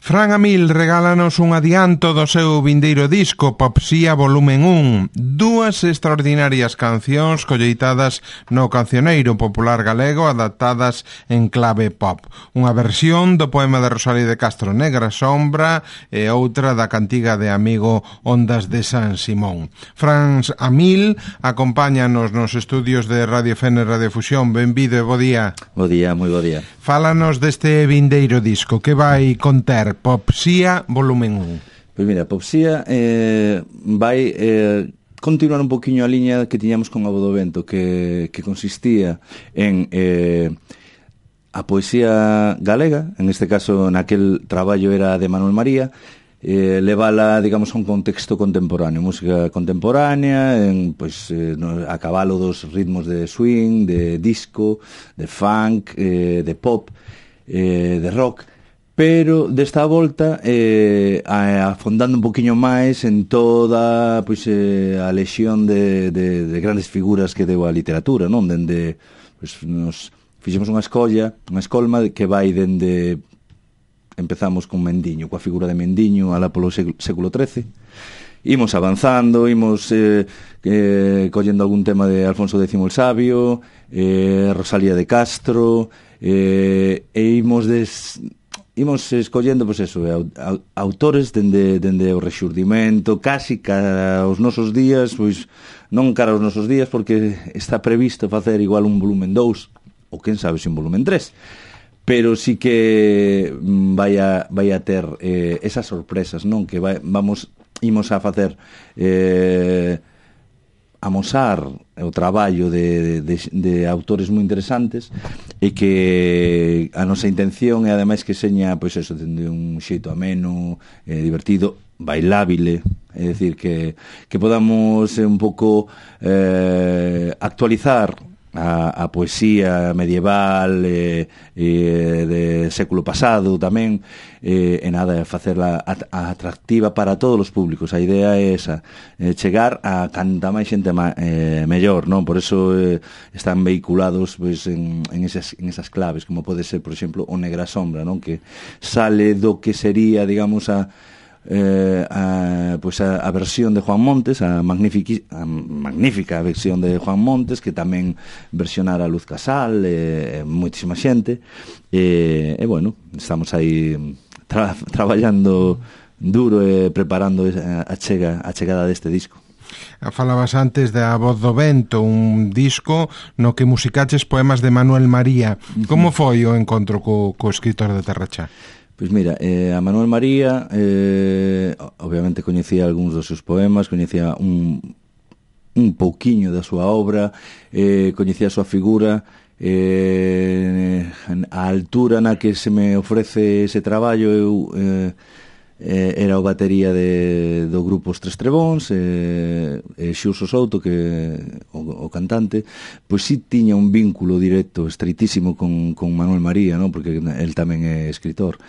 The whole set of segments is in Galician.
Fran Amil regálanos un adianto do seu vindeiro disco Popsía volumen 1, dúas extraordinarias cancións colleitadas no cancioneiro popular galego adaptadas en clave pop. Unha versión do poema de Rosalía de Castro, Negra Sombra, e outra da cantiga de Amigo, Ondas de San Simón. Fran Amil acompáñanos nos estudios de Radio Fene Radio Fusión. Benvido e bo día. Bo día, moi bo día. Fálanos deste vindeiro disco que vai conter Popsía volumen 1. Pois mira, Popsía vai continuar un poquinho a liña que tiñamos con A Voz do Vento, que consistía en a poesía galega, en este caso naquel traballo era de Manuel María, levala, digamos, a un contexto contemporáneo, música contemporánea, a cabalo dos ritmos de swing, de disco, de funk, de pop, de rock, pero desta volta afondando un poquinho máis en toda a lexión de grandes figuras que deu a literatura, non? Dende, nos fixemos unha escolma que vai dende, empezamos con Mendiño, coa figura de Mendiño alá polo século XIII, imos avanzando, imos collendo algún tema de Alfonso X el Sabio, Rosalía de Castro, e imos escollendo, pois eso, autores dende o rexurdimento, casi cara aos nosos días, pois non cara aos nosos días, porque está previsto facer igual un volumen 2, ou quen sabe se un volumen 3, pero sí que vai a ter esas sorpresas, non? Que imos a facer amosar o traballo de autores moi interesantes e que a nosa intención é ademais que seña, pois eso, dende un xeito ameno, divertido, bailábile, é dicir que podamos un pouco actualizar a poesía medieval de século pasado tamén, e nada, facerla atractiva para todos os públicos. A idea é esa, chegar a canta máis xente mellor, non? Por eso están vehiculados pois, en esas claves, como pode ser, por exemplo, o Negra Sombra, non? Que sale do que sería, digamos, a versión de Juan Montes, a magnífica versión de Juan Montes, que tamén versionara Luz Casal, moitísima xente, e bueno, estamos aí traballando duro e preparando a chegada deste disco. Falabas antes de A Voz do Vento, un disco no que musicaches poemas de Manuel María. Como foi o encontro co escritor de Terrachá? Pois mira, a Manuel María obviamente coñecía algúns dos seus poemas, coñecía un pouquiño da súa obra, coñecía a súa figura, a altura na que se me ofrece ese traballo eu era o batería do grupo Os Tres Trebóns, Xurso Souto, que o cantante, pois sí tiña un vínculo directo, estreitísimo con Manuel María, non? Porque el tamén é escritor.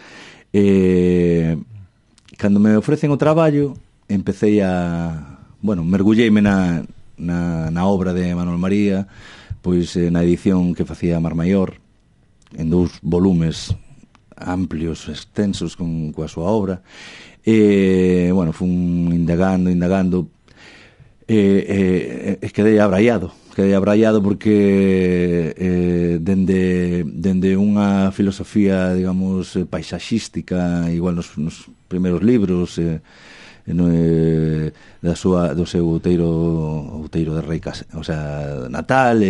Cando me ofrecen o traballo, empecé mergulleime na obra de Manuel María, pois na edición que facía Mar Maior, en 2 volumes amplios, extensos coa súa obra, fun indagando, quedei abraiado porque dende unha filosofía, digamos, paisaxística, igual nos primeiros libros, do seu outeiro de Rei natal,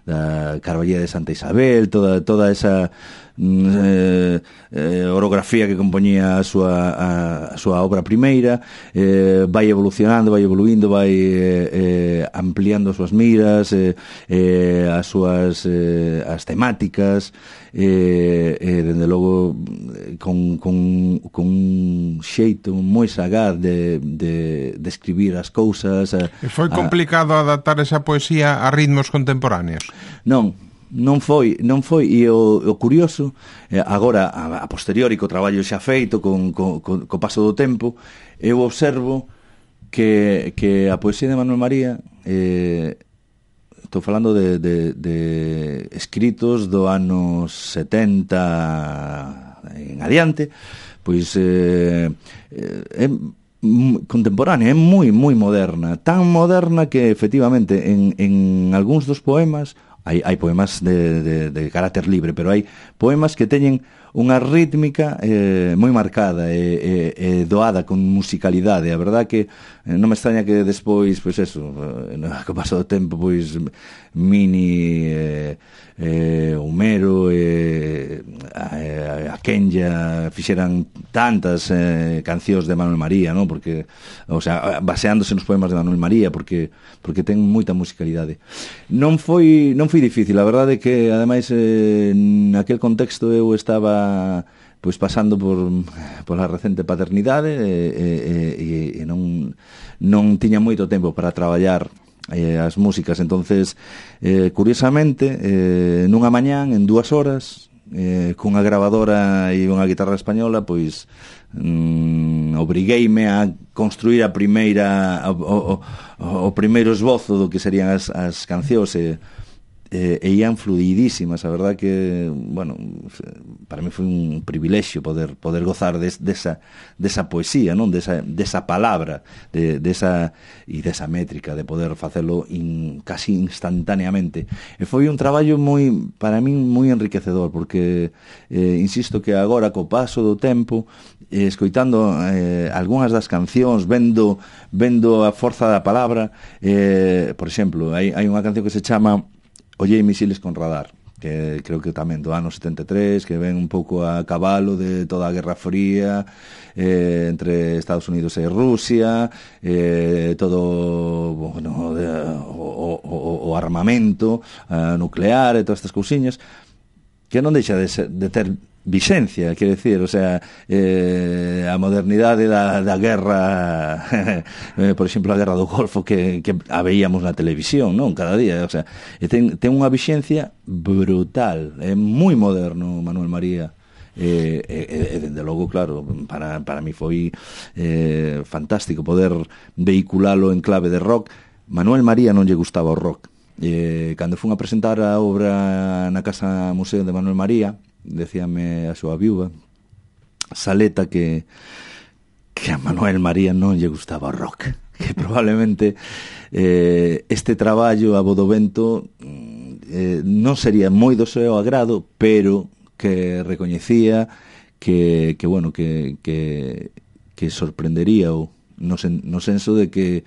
da Carballía de Santa Isabel, toda esa orografía que compoñía a súa obra primeira, vai evolucionando, vai evoluindo, vai ampliando as súas miras, as temáticas, dende logo con un xeito moi sagaz de escribir as cousas. Foi complicado adaptar esa poesía a ritmos contemporáneos? Non foi, e o curioso, agora a posteriori, co traballo xa feito, co paso do tempo, eu observo que a poesía de Manuel María, estou falando de escritos do anos 70, en adiante, pois é contemporánea, é moi moderna, tan moderna que efectivamente en algúns dos poemas hai poemas de carácter libre, pero hai poemas que teñen unha rítmica moi marcada e doada con musicalidade. A verdad que non me extraña que despois, pois eso, co paso do tempo, pois Mini, Homero, a Kenya fixeran tantas cancións de Manuel María, non? Porque, o sea, baseándose nos poemas de Manuel María, porque ten moita musicalidade. Non foi difícil, a verdade é que ademais naquel contexto eu estaba pois pasando por a recente paternidade e non tiña moito tempo para traballar as músicas, entonces curiosamente nunha mañán en 2 horas cunha grabadora e unha guitarra española, pois obrigueime a construir a primeira o primeiro esbozo do que serían as cancións e ian fluidísimas. A verdad que, bueno, para mí foi un privilexio poder gozar desa poesía, non? Desa palabra, desa métrica, de poder facelo casi instantaneamente. E foi un traballo para mí moi enriquecedor, porque insisto que agora, co paso do tempo, escoitando algunhas das cancións, vendo a forza da palabra, por exemplo, hai unha canción que se chama Ollei misiles con radar, que creo que tamén do ano 73, que ven un pouco a cabalo de toda a Guerra Fría entre Estados Unidos e Rusia, todo, bueno, o armamento nuclear e todas estas cousiñas, que non deixa de ter vixencia, quero decir, o sea, a modernidade da guerra, por exemplo, a guerra do Golfo que a veíamos na televisión, non? Cada día, o sea, ten unha vixencia brutal, é moi moderno Manuel María. E dende logo, claro, para mí foi fantástico poder vehiculalo en clave de rock. Manuel María non lle gustaba o rock. Cando fun a presentar a obra na Casa Museo de Manuel María, decíame a súa viúva Saleta que a Manuel María non lle gustaba o rock, que probablemente este traballo a bo do vento non sería moi do seu agrado, pero que recoñecía que bueno, que sorprendería no senso de que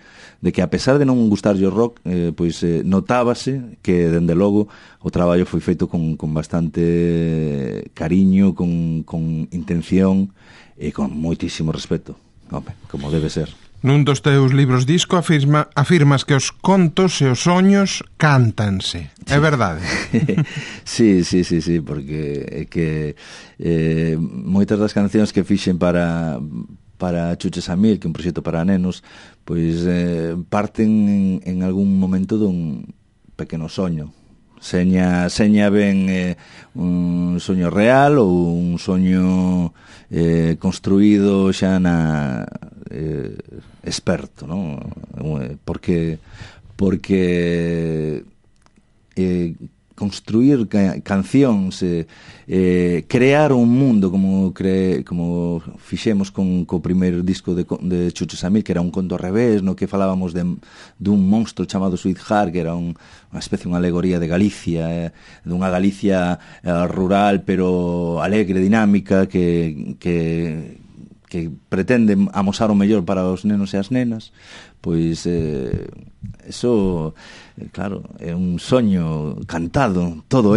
a pesar de non gustarlle o rock, pois notábase que dende logo o traballo foi feito con bastante cariño, con intención e con moitísimo respeto, como debe ser. Nun dos teus libros disco afirmas que os contos e os soños cántanse. É verdade? Sí, porque é que moitas das cancións que fixen para Chuches a Mil, que é un proxecto para nenos, pois parten en algún momento dun pequeno soño. Seña ben un soño real ou un soño construído xa na experto, non? Porque construir cancións, crear un mundo como fixemos co primeiro disco de Chuches a Mil, que era un conto ao revés, no que falábamos dun monstro chamado Sweetheart, que era unha especie, unha alegoría de Galicia, dunha Galicia rural pero alegre, dinámica, que pretende amosar o mellor para os nenos e as nenas. Pois eso, claro, é un soño cantado, toda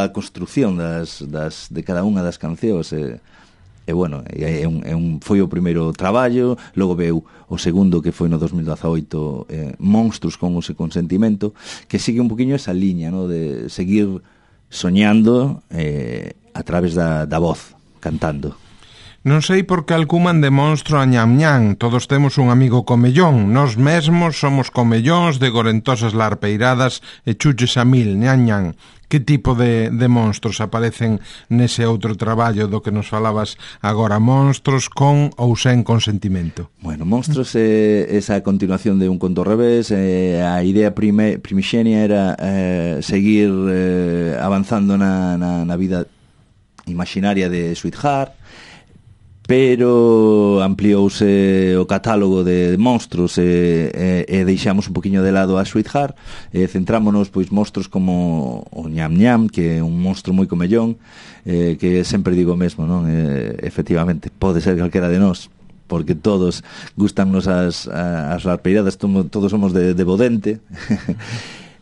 a construción de cada unha das cancións, e bueno, foi o primeiro traballo. Logo veu o segundo, que foi no 2018, Monstruos con o seu consentimento, que sigue un poquinho esa liña, ¿no?, de seguir soñando a través da voz, cantando. Non sei por que alcuman de monstro a Ñam Ñam. Todos temos un amigo comellón. Nós mesmos somos comellóns de gorentosas larpeiradas e Chuches a Mil, Ñam Ñam. Que tipo de monstros aparecen nese outro traballo do que nos falabas agora? Monstros con ou sen consentimento? Bueno, Monstros é esa continuación de un conto ao revés. A idea primixenia era seguir avanzando na vida imaxinaria de Sweetheart, pero ampliouse o catálogo de monstros e deixamos un poquinho de lado a Sweetheart e centrámonos pois monstros como o Ñam Ñam, que é un monstro moi comellón, que sempre digo o mesmo, non? Efectivamente, pode ser calquera de nós, porque todos gustannos as larpeiradas, todos somos de Bodente.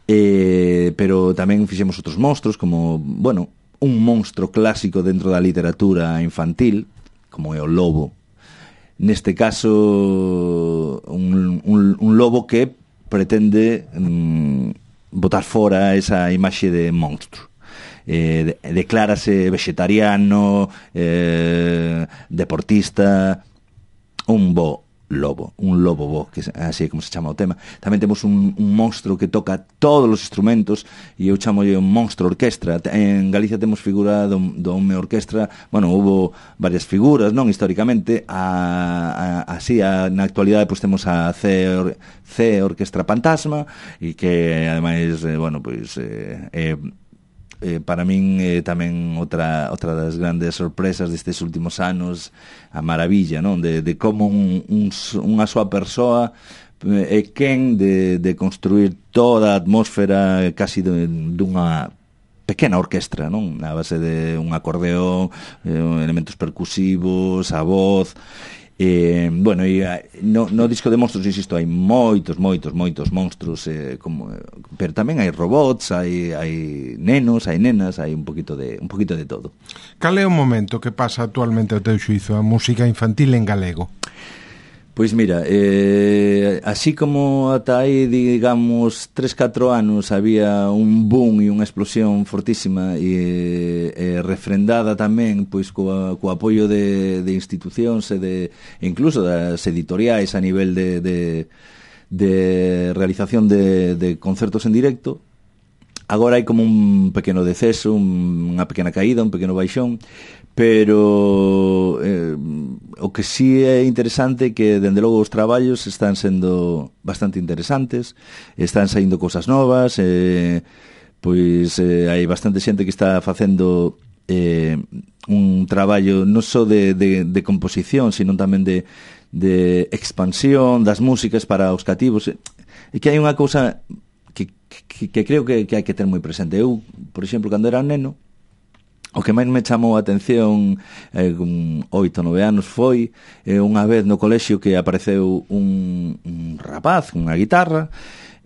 Pero tamén fixemos outros monstros como, bueno, un monstro clásico dentro da literatura infantil como é o lobo. Neste caso un lobo que pretende botar fora esa imaxe de monstro. Declárase vegetariano, deportista, un lobo bo, que así é como se chama o tema. Tamén temos un monstro que toca todos os instrumentos e eu chamo un monstro orquestra. En Galicia temos figura do home orquestra. Bueno, hubo varias figuras, non, históricamente. Así, na actualidade, pois temos a C Orquestra Fantasma, e que ademais, bueno, pois para min tamén outra das grandes sorpresas destes últimos anos, a maravilla, non, de como unha soa persoa é quen de construir toda a atmósfera casi dunha pequena orquestra, non, na base de un acordeón, elementos percusivos, a voz. Bueno, e no disco de monstros, insisto, hai moitos monstros, pero tamén hai robots, hai nenos, hai nenas, hai un poquito de todo. Cal é o momento que pasa actualmente ao teu xuízo a música infantil en galego? Pois mira, así como ata aí, digamos, 3-4 anos había un boom e unha explosión fortísima e refrendada tamén pois co apoio de institucións e incluso das editoriais a nivel de realización de concertos en directo. Agora hai como un pequeno deceso, unha pequena caída, un pequeno baixón, pero o que sí é interesante é que, dende logo, os traballos están sendo bastante interesantes, están saindo cousas novas, pois hai bastante xente que está facendo un traballo non só de composición, sino tamén de expansión das músicas para os cativos. E que hai unha cousa que creo que hai que ter moi presente. Eu, por exemplo, cando era neno, o que máis me chamou a atención con 8-9 anos foi unha vez no colexio que apareceu un rapaz con unha guitarra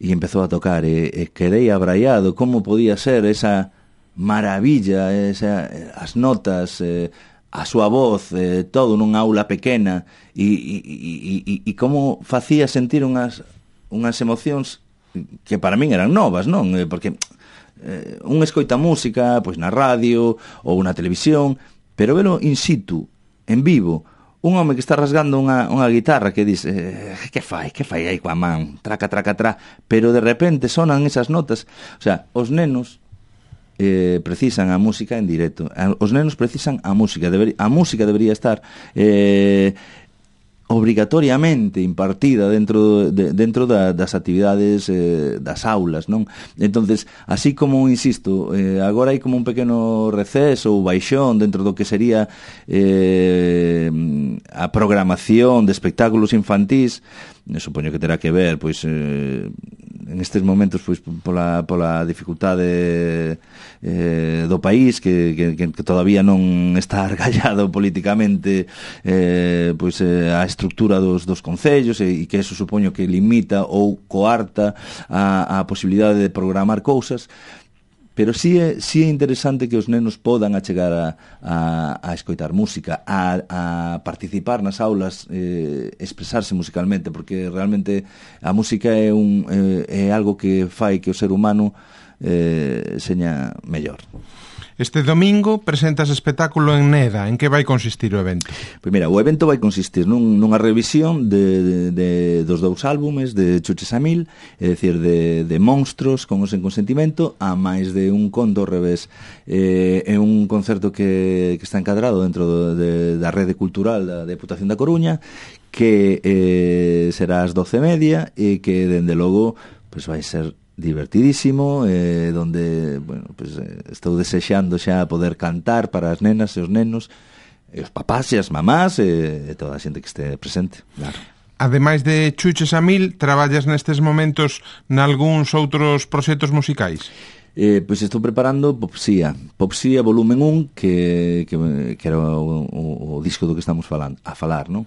e empezou a tocar e quedei abraiado como podía ser esa maravilla, as notas, a súa voz, todo nunha aula pequena e como facía sentir unhas emocións que para min eran novas, non? Porque un escoita música pois na radio ou na televisión, pero velo in situ, en vivo, un home que está rasgando unha guitarra que dice, que fai aí coa man, traca, pero de repente sonan esas notas. O sea, os nenos precisan a música en directo, os nenos precisan a música, a música debería estar obrigatoriamente impartida dentro das actividades das aulas, non? Entonces, así como, insisto, agora hai como un pequeno receso ou baixón dentro do que sería a programación de espectáculos infantís, supoño que terá que ver, pois, en estes momentos, pois, pola dificultade do país que todavía non está argallado políticamente, pois a estructura dos concellos e que eso supoño que limita ou coarta a posibilidade de programar cousas. Pero sí é interesante que os nenos podan achegar a escoitar música, a participar nas aulas, expresarse musicalmente, porque realmente a música é algo que fai que o ser humano seña mellor. Este domingo presentas espectáculo en Neda. En que vai consistir o evento? Pois mira, o evento vai consistir nunha revisión dos dous álbumes de Chuches a Mil, é dicir, de Monstros con o Sen Consentimento, a máis de un conto ao revés. É un concerto que está encadrado dentro da rede cultural da Deputación da Coruña, que será ás 12:30 e que, dende logo, pois vai ser divertidísimo, donde, bueno, pues estou desexando xa poder cantar para as nenas e os nenos, e os papás e as mamás, e toda a xente que este presente, claro. Ademais de Chuches a Mil, traballas nestes momentos nalgúns outros proxectos musicais? Pois estou preparando Popsía volumen 1, que era o disco do que estamos a falar, non?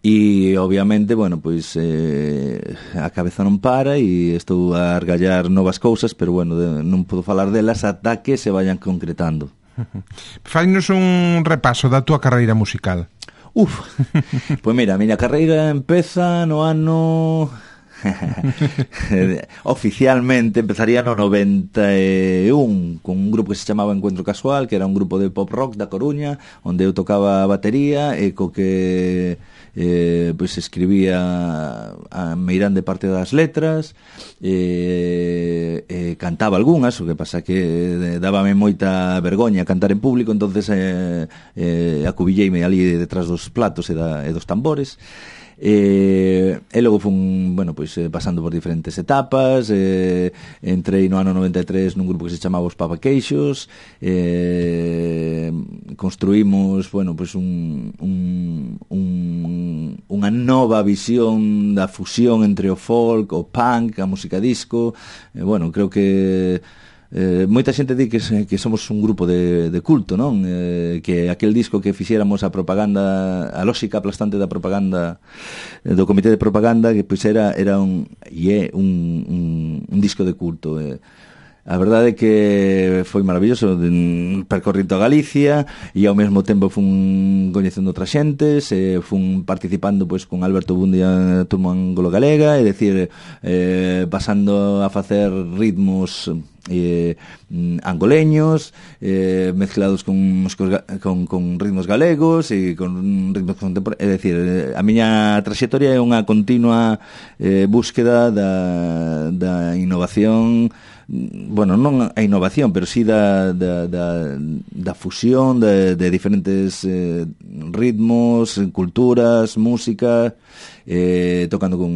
E obviamente, bueno, pois a cabeza non para e estou a argallar novas cousas, pero bueno, non podo falar delas ata que se vayan concretando. Fainos un repaso da túa carreira musical. Pois mira, a miña carreira empeza no ano... oficialmente empezaría no 91 con un grupo que se chamaba Encuentro Casual, que era un grupo de pop rock da Coruña, onde eu tocaba a batería e co que pois escribía a meirande parte das letras, cantaba algunhas, o que pasa que dábame moita vergoña cantar en público, entonces acubilleime ali detrás dos platos e dos tambores. E logo fun, bueno, pois pasando por diferentes etapas, entrei no ano 93 nun grupo que se chamaba Os Papaqueixos, construímos, bueno, pois unha nova visión da fusión entre o folk, o punk, a música disco, bueno, creo que moita xente di que somos un grupo de culto, non? Que aquel disco que fixéramos a propaganda, a lógica aplastante da propaganda do comité de propaganda, que pois era un disco de culto. A verdade é que foi maravilloso, percorri toda Galicia e ao mesmo tempo fun coñecendo outras xentes, fun participando pois con Alberto Bundia Turma Anglo-Galega, é dicir, pasando a facer ritmos angoleños, mezclados con ritmos galegos e con ritmos contemporáneos. É dicir, a miña traxectoria é unha continua búsqueda da innovación, bueno, non a innovación, pero sí da fusión de diferentes ritmos, culturas, música, tocando con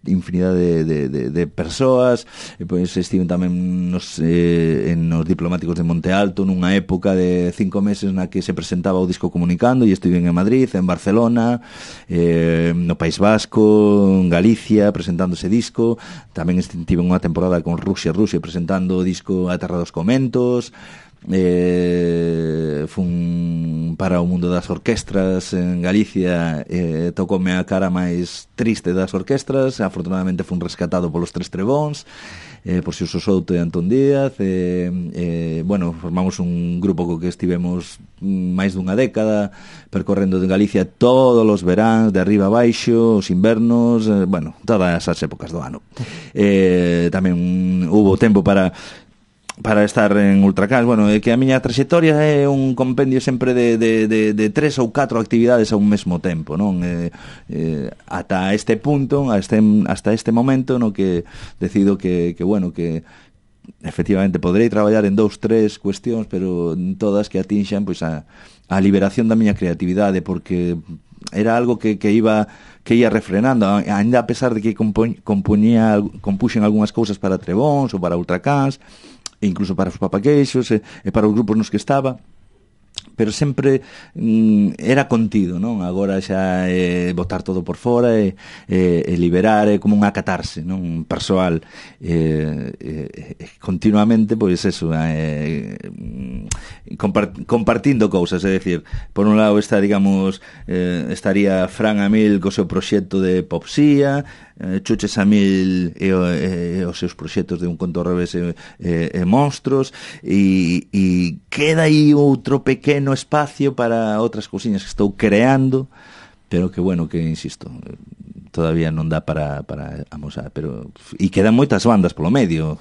infinidade de persoas. Pois estive tamén nos diplomáticos de Monte Alto nunha época de 5 meses na que se presentaba o disco Comunicando, e estive en Madrid, en Barcelona, no País Vasco, en Galicia presentando ese disco. Tamén estive unha temporada con Rusia presentando o disco A Terra dos Comentos. Fun para o mundo das orquestras en Galicia, tocoume a cara máis triste das orquestras. Afortunadamente fun rescatado polos Tres Trebóns, por Xurxo Souto e Antón Díaz, bueno, formamos un grupo co que estivemos máis dunha década percorrendo de Galicia todos os veráns, de arriba a baixo, os invernos, bueno, todas as épocas do ano. Tamén hubo tempo para estar en Ultracans. Bueno, é que a miña traxectoria é un compendio sempre de 3 ou 4 actividades a un mesmo tempo, non? Ata este punto, hasta este momento no que decido que bueno, que efectivamente poderei traballar en 2-3 cuestións, pero todas que atinxan pois a liberación da miña creatividade, porque era algo que ia refrenando, ainda a pesar de que compuxen algunhas cousas para Trebóns ou para Ultracans, e incluso para os Papaqueixos e para os grupos nos que estaba, pero sempre era contido, non? Agora xa botar todo por fora e liberar, como unha catarse, non? Persoal, continuamente, pois eso, compartindo cousas, é dicir, por un lado está, digamos, estaría Fran a Mil co seu proxecto de Popsía, Chuches a Mil e os seus proxectos de Un Conto ao Revés e Monstros, e queda aí outro pequeno espacio para outras cousiñas que estou creando, pero que, bueno, que insisto, todavía non dá para amosar, pero e quedan moitas bandas polo medio.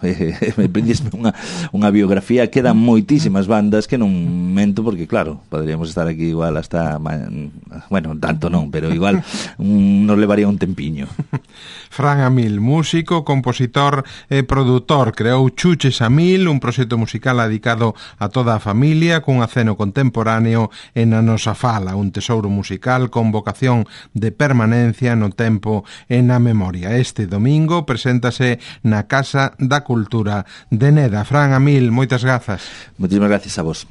Me prendisme unha biografía, quedan moitísimas bandas que non mento, porque claro, poderíamos estar aquí igual hasta, bueno, tanto non, pero igual nos levaría un tempiño. Fran Amil, músico, compositor e produtor, creou Chuches a Mil, un proxecto musical dedicado a toda a familia, cun aceno contemporáneo e na nosa fala, un tesouro musical con vocación de permanencia no tempo e na memoria. Este domingo preséntase na Casa da Cultura de Neda. Fran Amil, moitas grazas. Moitísimas gracias a vos.